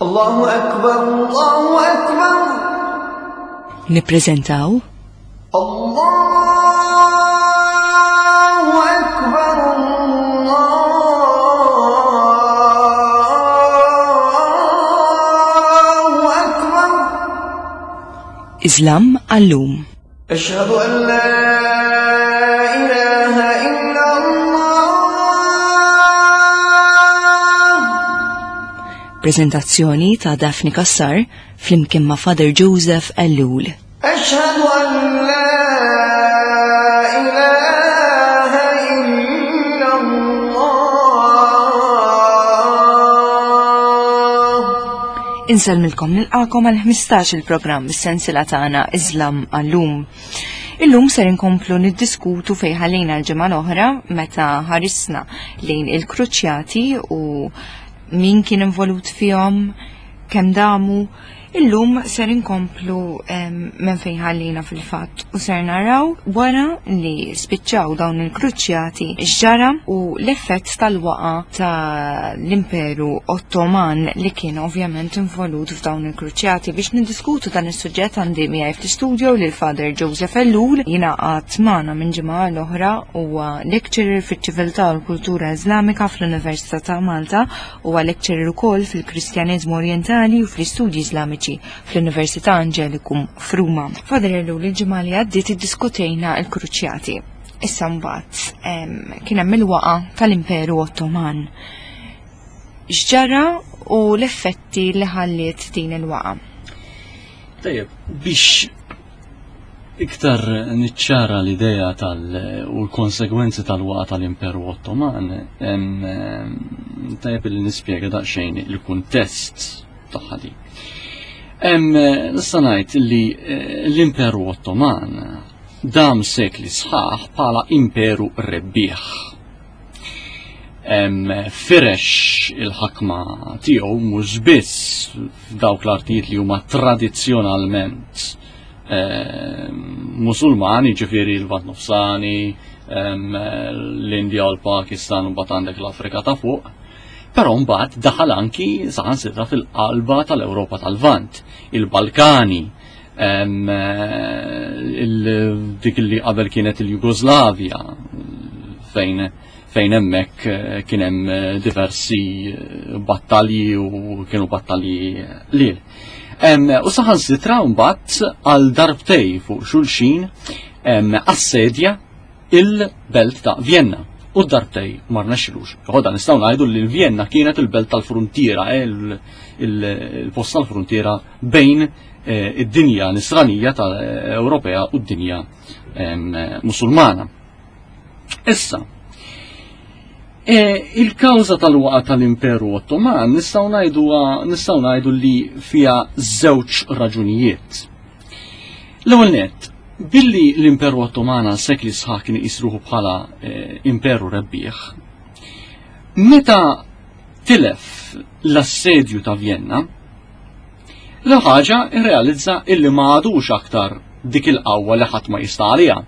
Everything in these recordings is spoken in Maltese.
Allahu akbar, Allahu akbar. Nippreżentaw Allahu akbar, Allahu akbar. Islam għallum. Ashhadu an la ilaha illa Allah. Prezentazzjoni ta' Daphne Kassar flimkien ma' Father Joseph Ellul. Ashhadu an la ilaha illa Allah. Insellmilkom nilqakom għal 15 il-programm is-sensila tagħna Islam għallum. Illum ser inkomplu niddiskutu fejn ħallejna l-ġimgħa l-oħra meta ħarisna lejn il-kruċjati u min kien involut fihom, kemm damu. Illum ser inkomplu minn fejn ħallina fil-fatt u ser naraw wara li spiċċaw dawn il-kruċjati x'ġara u l-effett tal-waqa ta' l-Imperu Ottoman li kien ovvjament involut f'dawn il-kruċjati. Biex niddiskutu dan is-suġġett għandi miegħi fl-istudio lil Father Joseph Ellul jingħaqad magħna minn ġimgħa l-oħra huwa lecturer fiċ-ċiviltà u l-kultura Iżlamika fl-Università ta' Malta huwa lecturer ukoll fil-Kristjaneżmu Orjentali u fl-Istudji Iżlamiċi fl-Università Angelicum f'Ruma. Father Ellul, il-ġimgħa li għaddiet iddiskutejna l-kruċjati. Issa mbagħad kien hemm il-waqa tal-Imperu Ottoman. X'ġara u l-effetti li ħalliet din il-waqa? Tajjeb, biex iktar niċċara l-idea tal u l-konsegwenzi tal-waqa tal-Imperu Ottoman, tajjeb li nispjega daqsxejn il-kuntest tagħha di. Nista' ngħid li eh, l-Imperu Ottoman dam sekli sħaħ bħala imperu rebbieħ. Firex il-ħakma tiegħu mhux biss f'dawk l-artijiet li huma tradizzjonalment Musulmani, ġifieri l-Lvant Nofsani, l-Indja u l-Pakistan u mbagħad għandek l-Afrika ta' fuq. Però mbagħad daħal anki saħansitra fil-qalba tal-Ewropa tal-Lvant, il-Balkani, dik li qabel kienet il-Jugoslavja fejn fejn hemmhekk eh, kien hemm eh, diversi eh, battalji u kienu battalji lil. U saħansitra mbagħad għal darbtej fuq xulxin assedja il-belt ta' Vienna. U darbtej ma rnexxilux. Ħoda nistgħu ngħidu li l-Vienna kienet il-belt tal-fruntiera, il-post tal-fruntiera bejn eh, id-dinja nisranija tal-Ewropea u d-dinja Musulmana. Issa, eh, il-kawża tal-waqa tal-Imperu Ottoman nistgħu ngħidu nistgħu ngħidu li fiha żewġ raġunijiet. L-ewwel nett, billi l-Imperu Ottoman għal sekli sħaħ kien iqis ruħu bħala eh, imperu rebbieħ, meta tilef l-assedju ta' Vienna, L-ħaġa irrealizza illi ma għadux aktar dik il-qawwa li ħadd ma jista' għaliha.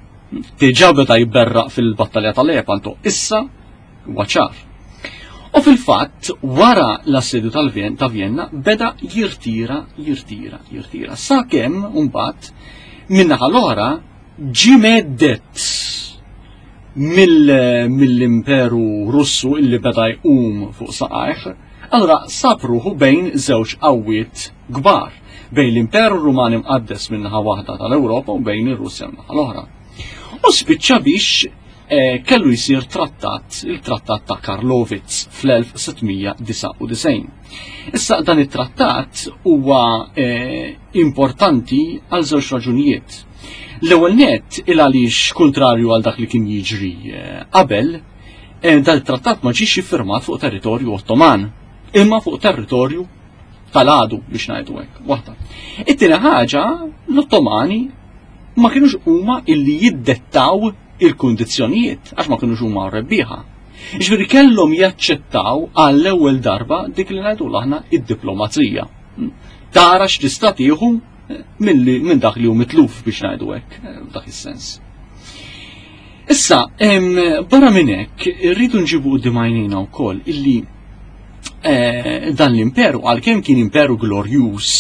Diġà beda jberraq fil-battalja tal-Lepanto, issa huwa ċar. U fil-fatt, wara l-assedju tal-Vjen ta' Vienna, beda jirtira, jirtira, jirtira. Sakemm mbagħad min-naħa l-oħra ġie meddet mill-Imperu Russu illi beda jqum fuq saqajh, allura sab ruħu bejn żewġ qawwiet kbar, bejn l-Imperu Ruman Imqaddes minn naħa waħda tal-Ewropa u bejn ir-Russja minn naħa l-oħra. U spiċċa biex eh, kellu jsir trattat, il-trattat ta' Karlovitz fl-1699. Issa dan it-trattat huwa eh, importanti għal żewġ raġunijiet. L-ewwel nett il għaliex kuntrarju għal dak li kien jiġri eh, qabel, eh, dan it-trattat ma ġiex iffirmat fuq territorju Ottoman, imma fuq territorju tal-għadu biex ngħidu hekk. Waħda. It-tieni ħaġa, l-Ottomani ma kienux huma illi jiddettaw il-kundizzjonijiet għax ma kienux huma rebbieħa. Ġifieri kellhom jaċċettaw għall-ewwel darba dik li ngħidu aħna id-diplomazija. Tara x'tista' tieħu minn dak li hu mitluf biex ngħidu hekk, eh, f'dak is-sens. Issa, barra minn hekk, irridu nġibu quddiem għajnejna wkoll illi eh, dan l-imperu għalkemm kien imperu glorjuż,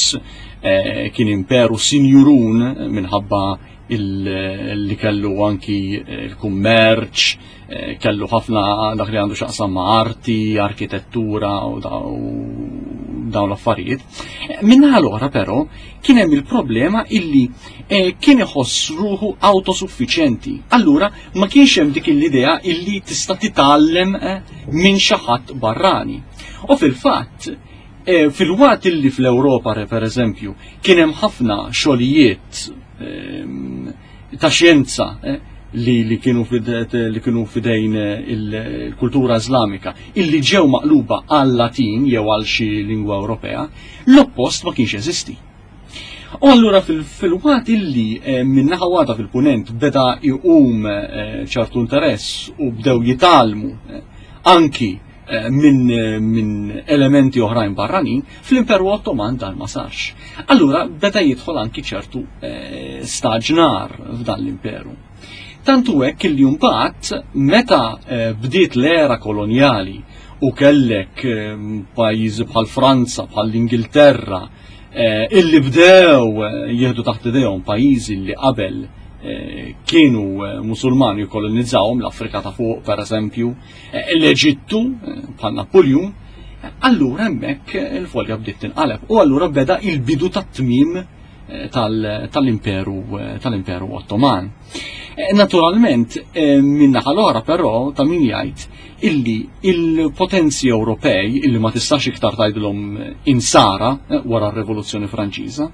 eh, kien imperu sinjurun minħabba li kellu anki l-kummerċ, eh, kellu ħafna dak li għandu xaqsam ma' arti, arkitettura u dawn l-affarijiet. Minna l-oħra però kien hemm il-problema illi eh, kien iħoss ruħu autosuffiċjenti. Allura ma kienx hemm dik l-idea illi tista' titgħallem eh, minn xi ħadd barrani. U fil-fatt, eh, fil-waqt illi fl-Ewropa per eżempju kien hemm ħafna xogħlijiet ehm, ta' xjenza eh, li, li, kienu li kienu fidejn il-kultura Islamika illi ġew maqluba għal Latin jew għal xi lingwa Ewropea, l-oppost ma kienx jeżisti. U allura fil-waqt illi eh, minnaħa waħda fil-punent beda jqum eh, ċertu interess u bdew jitalmu eh, anki minn min elementi oħrajn barranin, fl-Imperu Ottoman dan ma sarx. Allura beda jidħol anki ċertu staġnar f'dan l-imperu. Tantu hekk illi mbagħad meta bdiet l-era kolonjali u kellek pajjiżi bħal Franza, bħal l-Ingilterra, eh, illi bdew eh, jieħdu taħt idejhom pajjiżi li qabel eh, kienu musulmani jkolonizzawhom l-Afrika ta' fuq pereżempju, l-Eġittu bħal Napoljun, allura hemmhekk il-folja bdiet tinqaleb u allura beda il-bidu tat-tmiem tal-Imperu tal-Imperu Ottoman. Naturalment, min-naħa l-oħra però ta' min jgħid illi il-potenzi Ewropej, illi ma tistax iktar tgħidilhom insara eh, wara r-Rivoluzzjoni Franċiża,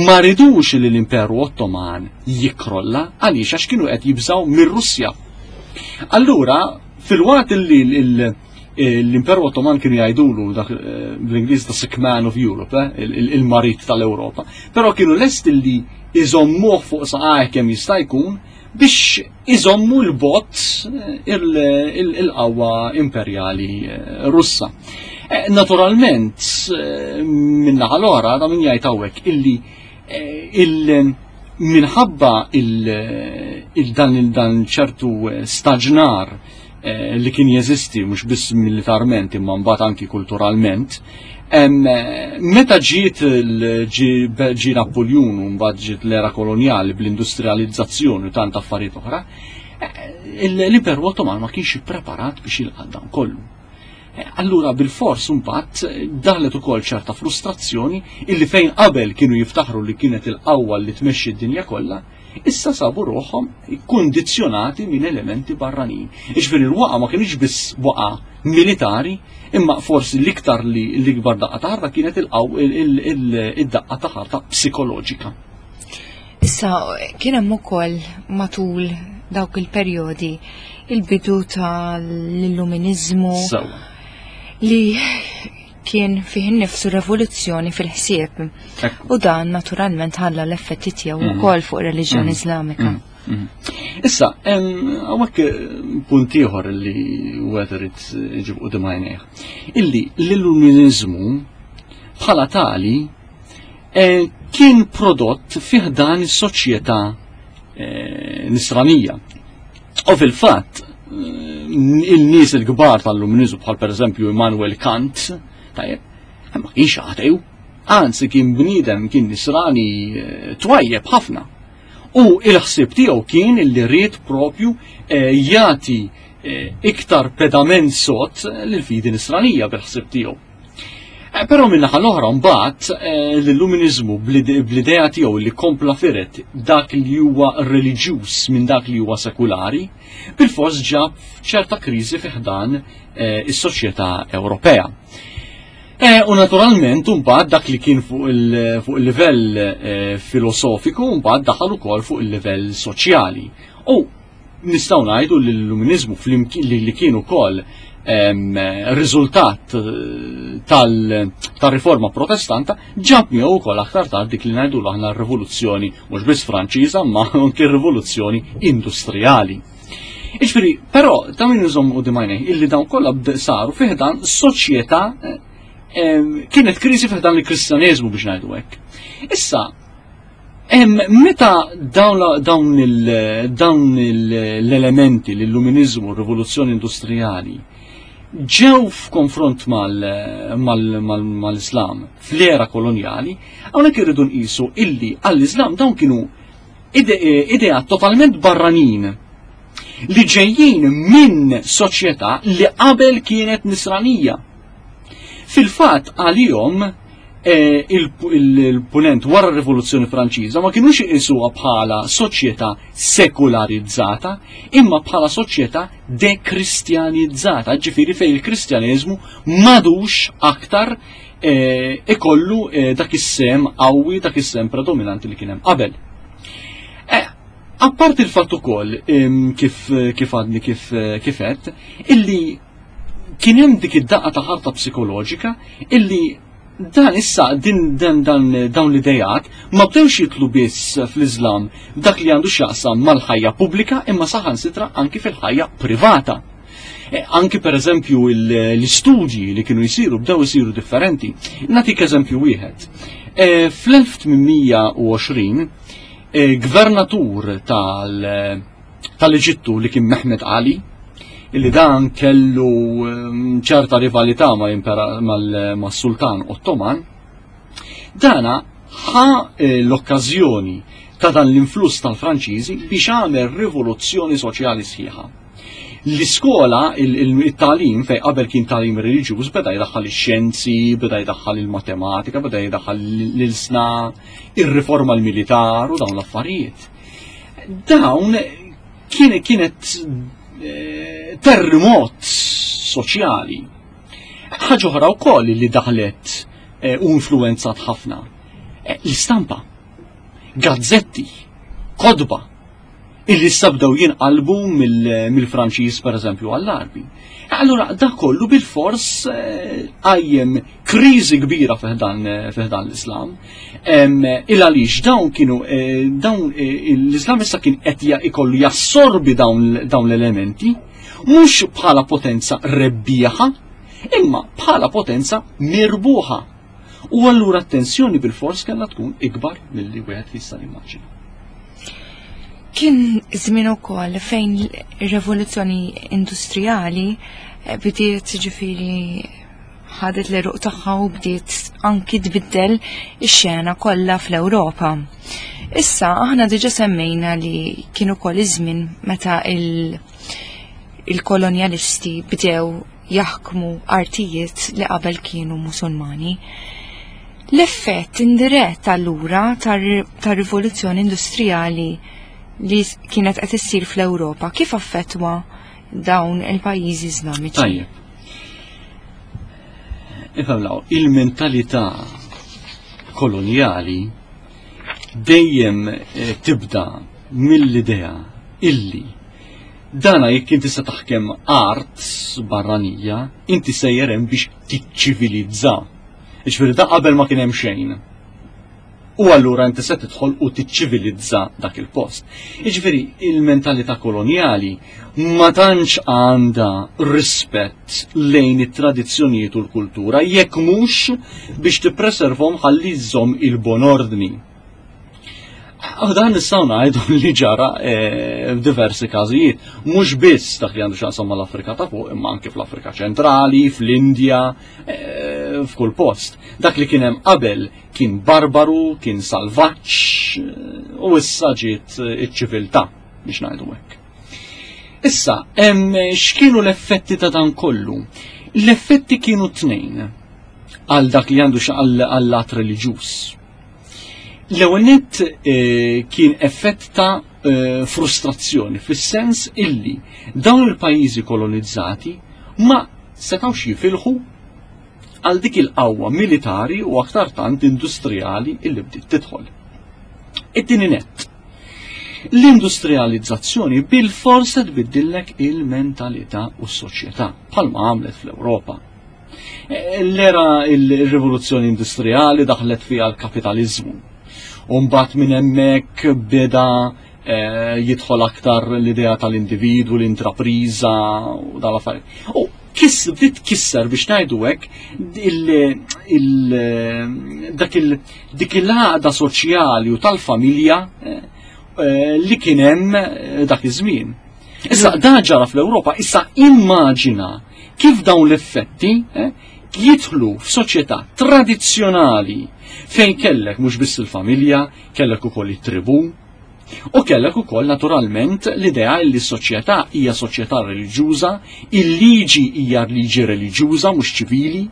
ma ridux li l-Imperu Ottoman jikrolla għaliex għax kienu qed jibżaw mir-Russja. Allura, fil-waqt illi l-Imperu Ottoman kienu jgħidulu dak eh, bl-Ingliż the sick man of Europe, eh, il-marit tal-Ewropa, però kienu lest illi iżommuh fuq saqajh kemm jista' jkun biex iżommu l-bot eh, il-qawwa imperjali eh, Russa. Eh, naturalment, minnaħa l-oħra, da min jgħid hawnhekk illi il minħabba il-dan il-dan ċertu staġnar li kien jeżisti mhux biss militarment imma mbagħad anki kulturalment, Meta ġiet ġi Napoljun u mbagħad ġiet l-era kolonjali bl-industrializzazzjoni u tant affarijiet oħra, eh, l-Imperu Ottoman ma kienx ippreparat biex jilqa' dan kollu. Eh, allura bil-fors mbagħad eh, daħlet ukoll ċerta frustrazzjoni illi fejn qabel kienu jiftaħru li kienet il-qawwa li tmexxi d-dinja kollha, issa sabu ruħhom kundizzjonati minn elementi barranin. Iġifieri l-waqa ma kienx biss waqa militari, imma forsi l-iktar li l-ikbar daqqa ta' ħarta kienet id-daqqa ta' ħarta psikoloġika. Issa kien hemm ukoll matul dawk il-perjodi il-bidu tal-illuminiżmu li kien fih innifsu revoluzzjoni fil-ħsieb. U dan naturalment ħalla l-effetti tiegħu mhm. ukoll fuq reliġjoni mhm. Iżlamika. Mhm. Issa, hawnhekk eh, punt ieħor li wieħed irid iġib qudiem għajnejh. Illi l-illuminizmu bħala tali eh, kien prodott fih dan is-soċjetà eh, nisranija. U fil-fatt, il-nies il-kbar tal-Luminizmu bħal pereżempju Immanuel Kant, tajjeb, ma kienx atew, anzi kien bniedem kien nisrani eh, twajjeb ħafna. U il-ħsieb tiegħu kien li ried propju eh, jagħti eh, iktar pedament sod lill-fidi nisranija bil-ħsieb tiegħu. Eh, però minnaħa l-oħra mbagħad eh, l-illuminizmu bl-idea tiegħu li kompla firet dak li huwa reliġjuż minn dak li huwa sekulari, bil-fors ġab ċerta kriżi fi ħdan eh, is-soċjetà Ewropea. U naturalment mbagħad dak li kien fuq il-livell filosofiku mbagħad daħal ukoll fuq il-livell soċjali. U Nistgħu ngħidu li l-Illuminizmu li kien ukoll riżultat eh, tal-riforma protestanta ġab miegħu wkoll aktar tard dik li ngħidu aħna r-rivoluzzjoni mhux biss Franċiża ma anke r-rivoluzzjoni industrijali. Iġifieri, però ta' min iżomm u dimajnej illi dawn kollha saru fih dan soċjetà eh, kienet kriżi fih dan il-Kristjaneżmu biex ngħidu hekk. Issa, Meta dawn l-elementi, l-illuminizmu, r-rivoluzzjoni industrijali, ġew f'konfront mal-Islam fl-era kolonjali, hawnhekk irridu nqisu illi għall-Islam dawn kienu idea totalment barranin li ġejjin minn soċjetà li qabel kienet nisranija. Fil-fatt għalihom eh, il-punent wara r-Rivoluzzjoni Franċiża ma kienux iqisuha bħala soċjetà sekularizzata, imma bħala soċjetà dekristjanizzata, ġifieri fejn il-Kristjaneżmu madux aktar eh, ikollu eh, dak is-sem qawwi, dak is-sem predominanti li kien hemm qabel. Apparti il-fatt ukoll kif kif għadni kif kifet, illi kien hemm dik id-daqqa ta' ħarta psikoloġika illi dan issa din dan dan dawn l-idejat ma bdewx jitlu biss fl-Iżlam dak li għandu x'jaqsam mal-ħajja pubblika imma saħansitra anki fil-ħajja privata. E, anki per eżempju l-istudji li kienu jisiru bdew isiru differenti. Natik eżempju wieħed. E, fl-1820 e, gvernatur tal- tal-Eġittu li kien Mehmed Ali, illi dan kellu ehm, ċerta rivalità mal-Sultan Ottoman, dana ħa eh, l-okkażjoni ta' dan l-influss tal-Franċiżi biex għamel rivoluzzjoni soċjali sħiħa. L-iskola, il-talim, fej qabel kien talim reliġjuż, beda jdaħħal ix-xjenzi, beda jdaħħal il-matematika, beda jdaħħal l-sna, ir-riforma l-militar u dawn l-affarijiet. Dawn kien kienet eh, terremot soċjali. Ħaġa oħra wkoll li daħlet eh, u influenzat ħafna. Eh, l-istampa, gazzetti, kodba, illi issa bdew jinqalbu mill-Franċiż pereżempju għall-Arbi. Allura dak kollu bil-fors eh, qajjem kriżi kbira fiħdan eh, l-Islam. Il għaliex dawn kienu eh, dawn l-Islam issa kien qed ikollu jassorbi dawn l-elementi mhux bħala potenza rebbieħa, imma bħala potenza mirbuħa. U allura t-tensjoni bil-fors kellha tkun ikbar milli wieħed jista' jimmaġina. Kien żmien ukoll fejn ir-rivoluzzjoni industrijali eh, bdiet ġifieri ħadet l-eruq tagħha u bdiet anki tbiddel ix-xena kollha fl-Ewropa. Issa aħna diġa semmejna li kien ukoll iż-żmien meta il-kolonjalisti bdew jaħkmu artijiet li qabel kienu Musulmani. L-effett indirett allura tar-rivoluzzjoni industrijali li kienet qed issir fl-Ewropa kif affettwa dawn il-pajjiżi Iżlamiċi? Tajjeb. Ifhem il-mentalità kolonjali dejjem eh, tibda mill-idea illi Dana jekk inti se taħkem art barranija, inti sejjer hemm biex tiċċivilizza. Jiġifieri da qabel ma kien hemm xejn. U allura inti se tidħol u tiċċivilizza dak il-post. Jiġifieri il-mentalità kolonjali ma tantx għandha rispett lejn it-tradizzjonijiet u l-kultura jekk mhux biex tippreservhom ħalli żżomm il-bon ordni. U dan nistgħu ngħidu li ġara eh, f'diversi każijiet, mhux biss dak li għandu x'jaqsam mal-Afrika ta' fuq, imma anke fl-Afrika ċentrali, fl-Indja, eh, f'kull post. Dak li kien hemm qabel kien barbaru, kien salvaġġ eh, u issa ġiet iċ-ċiviltà biex ngħidu hekk. Issa, x'kienu l-effetti ta' dan kollu? L-effetti kienu tnejn għal dak li għandu għall-lat reliġjuż. L-ewwel nett eh, kien effett ta' eh, frustrazzjoni fis-sens illi dawn il-pajjiżi kolonizzati ma setgħux jifilħu għal dik il-qawwa militari u aktar tant industrijali illi bdiet tidħol. It-tieni nett. L-industrializzazzjoni bil-forsa tbiddillek il-mentalità u s-soċjetà bħalma għamlet fl-Ewropa. L-era il-rivoluzzjoni industrijali daħlet fiha l-kapitalizmu. Umbat minn hemmhekk beda eh, jidħol aktar l-idea tal-individwu, l-intrapriża u dal-affarijiet. U kiss bdiet kisser biex ngħidu hekk dak il dik il-għaqda soċjali u tal-familja eh, eh, li kien hemm dak iż-żmien. Issa dan ġara fl-Ewropa, issa immaġina Kif dawn l-effetti eh, jidħlu f'soċjetà tradizzjonali fejn kellek mhux biss il-familja, kellek ukoll it-tribù, U kellek ukoll naturalment l-idea li s-soċjetà hija soċjetà reliġjuża, il-liġi hija liġi reliġjuża mhux ċivili.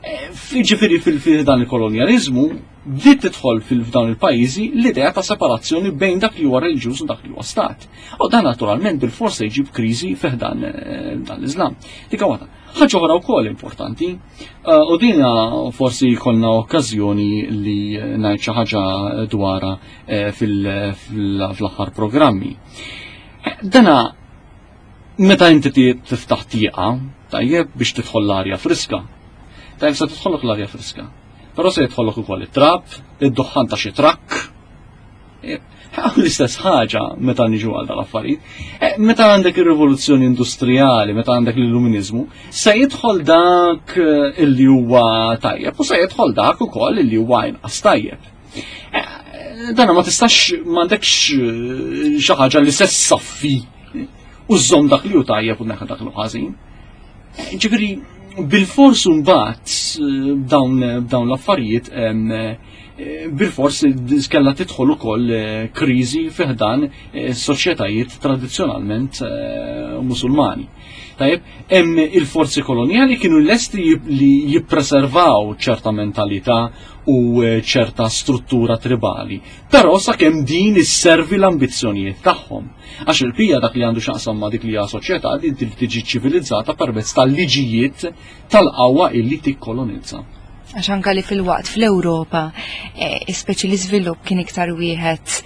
Eh, ġifieri fil-dan il-kolonjaliżmu bdiet tidħol fil-f'dawn il-pajjiżi l-idea ta' separazzjoni bejn dak li huwa reliġjuż u dak li huwa stat. U dan naturalment bil-forsa jġib kriżi fih dan eh, dan l-Iżlam. Dik waħda. Ħaġa oħra wkoll importanti, eh, u dina forsi jkollna okkażjoni li ngħid xi ħaġa dwarha eh, fl-aħħar programmi. Dana meta inti tiftaħ tieqa, tajjeb biex tidħol l-arja friska. Tajjeb se tidħollok l-arja friska. Però se jidħollok ukoll it-trab, id-duħħan ta' xi trakk. E, l-istess ħaġa meta niġu għal dal-affarijiet. E, meta għandek ir-rivoluzzjoni industrijali, meta għandek l-illuminizmu, se jidħol dak e, illi huwa tajjeb u se jidħol dak ukoll illi huwa inqas tajjeb. Dana ma tistax m'għandekx xi ħaġa li se ssaffi u żżomm dak li hu tajjeb u neħa dak li ħażin. Ġifieri bil-fors mbagħad eh, b'dawn l-affarijiet eh, bil-fors kellha tidħol ukoll eh, kriżi fiħdan soċjetajiet tradizzjonalment musulmani. Tajjeb, hemm il-forzi kolonjali kienu lesti li jippreservaw ċerta mentalità u ċerta struttura tribali. Però sakemm din isservi l-ambizzjonijiet tagħhom. Għax il-pija dak li għandu xaqsam ma' dik li hija soċjetà li trid tiġi ċivilizzata permezz tal-liġijiet tal-qawwa illi tikkolonizza. Għax anka li fil-waqt fl-Ewropa, eh, speċi l-iżvilupp kien iktar wieħed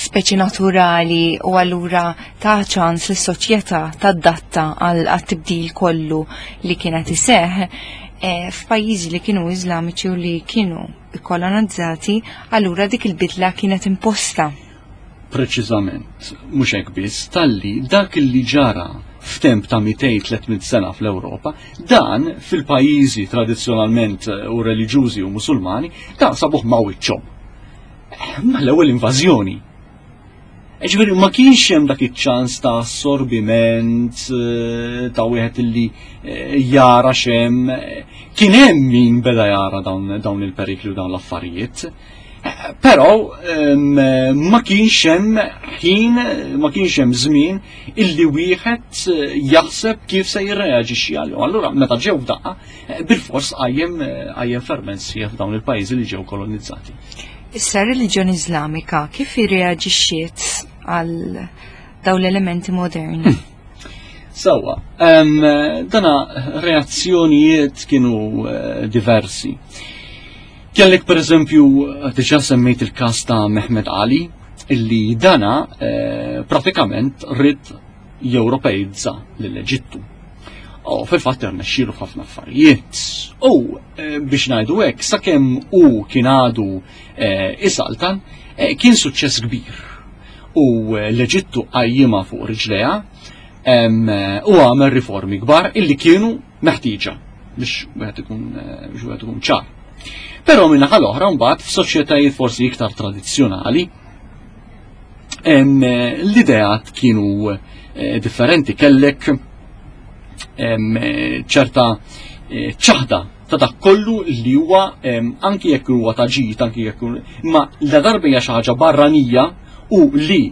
speċi naturali u allura ta' ċans li soċjetà tadatta għal tibdil kollu li kienet iseħ eh, f'pajjiżi li kienu Iżlamiċi u li kienu kolonizzati, allura dik il-bidla kienet imposta. Preċiżament, mhux hekk biss, talli dak li ġara f'temp ta' 200-300 sena fl-Ewropa, dan fil-pajjiżi tradizzjonalment eh, u reliġjużi u musulmani, dan sabuh ma' wiċċhom. Eh, ma l-ewwel invażjoni. Eh, ġifieri ma kienx hemm dak iċ-ċans ta' assorbiment ta' wieħed illi jara x'hemm. Kien hemm min beda jara dawn il-perikli u dawn l-affarijiet. Però ma kienx hemm ħin, ma kienx hemm żmien illi wieħed eh, jaħseb kif se jirreaġixxi għalihom. Allura meta ġew f'daqqa, eh, bil-fors qajjem eh, qajjem ferment sħiħ f'dawn il-pajjiżi li ġew kolonizzati. Issa r-reliġjoni Iżlamika kif irreaġixxiet għal dawn l-elementi moderni? Sawa, dana reazzjonijiet kienu diversi. Kellek per eżempju, diġa semmejt il-kas ta' Mehmed Ali, illi dana eh, pratikament rrid jewropeizza lill-Eġittu. U fil-fatt irnexxielu f'ħafna affarijiet. U eh, biex ngħidu hekk, sakemm hu kien għadu eh, isaltan, kien suċċess kbir. U l-Eġittu qajjimha fuq riġlejha u għamel riformi kbar illi kienu meħtieġa biex wieħed ikun eh, biex wieħed ikun ċar. Però minn naħa l-oħra mbagħad f'soċjetajiet forsi iktar tradizzjonali eh, l-ideat kienu eh, differenti kellek ċerta ċaħda ta' dak kollu li huwa anki jekk huwa ta' ġid, anki jekk imma la darba hija xi ħaġa barranija u li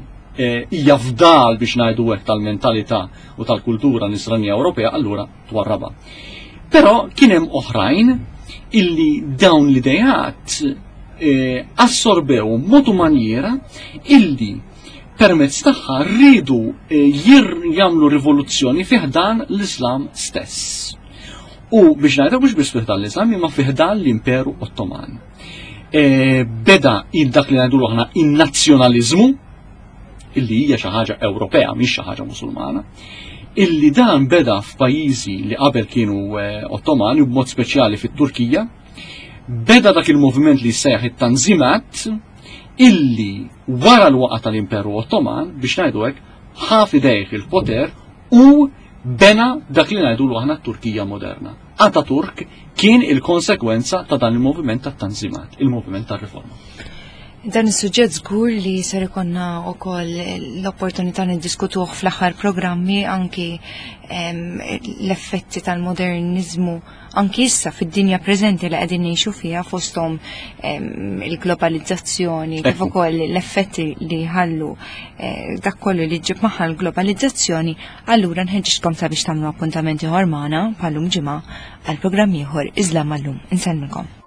hija fdal biex ngħidu hekk tal-mentalità u tal-kultura nisranija Ewropea, allura twarrabha. Però kien hemm oħrajn illi dawn l-idejat eh, assorbew mod u manjera illi permezz tagħha rridu eh, jagħmlu rivoluzzjoni fih dan l-Islam stess. U biex ngħidu mhux biss fih dan l-Islam imma fih dan l-Imperu Ottoman. Eh, beda dak li ngħidu aħna in-nazzjonaliżmu illi hija xi ħaġa Ewropea mhix xi ħaġa Musulmana, illi dan beda f'pajjiżi li qabel kienu eh, Ottomani u b'mod speċjali fit-Turkija, beda dak il-moviment li jsejjaħ it-Tanzimat illi wara l-waqa tal-Imperu Ottoman biex ngħidu hekk ħa f'idejh il-poter u bena dak li ngħidu aħna t-Turkija moderna. Ataturk kien il-konsekwenza ta' dan il-moviment tat-Tanzimat, il-moviment tar-riforma. Dan is-suġġett żgur li ser ikonna wkoll l-opportunità niddiskutuh fl-aħħar programmi anki l-effetti tal-moderniżmu anki issa fid-dinja preżenti li qegħdin ngħixu fiha fosthom il-globalizzazzjoni kif ukoll l-effetti li ħallu eh, dak kollu li ġib magħha l-globalizzazzjoni, allura nħeġġitkom sabiex tagħmlu appuntament ieħor magħna bħalum ġimgħa għal programm ieħor Iżlam għallum. Insellmikom.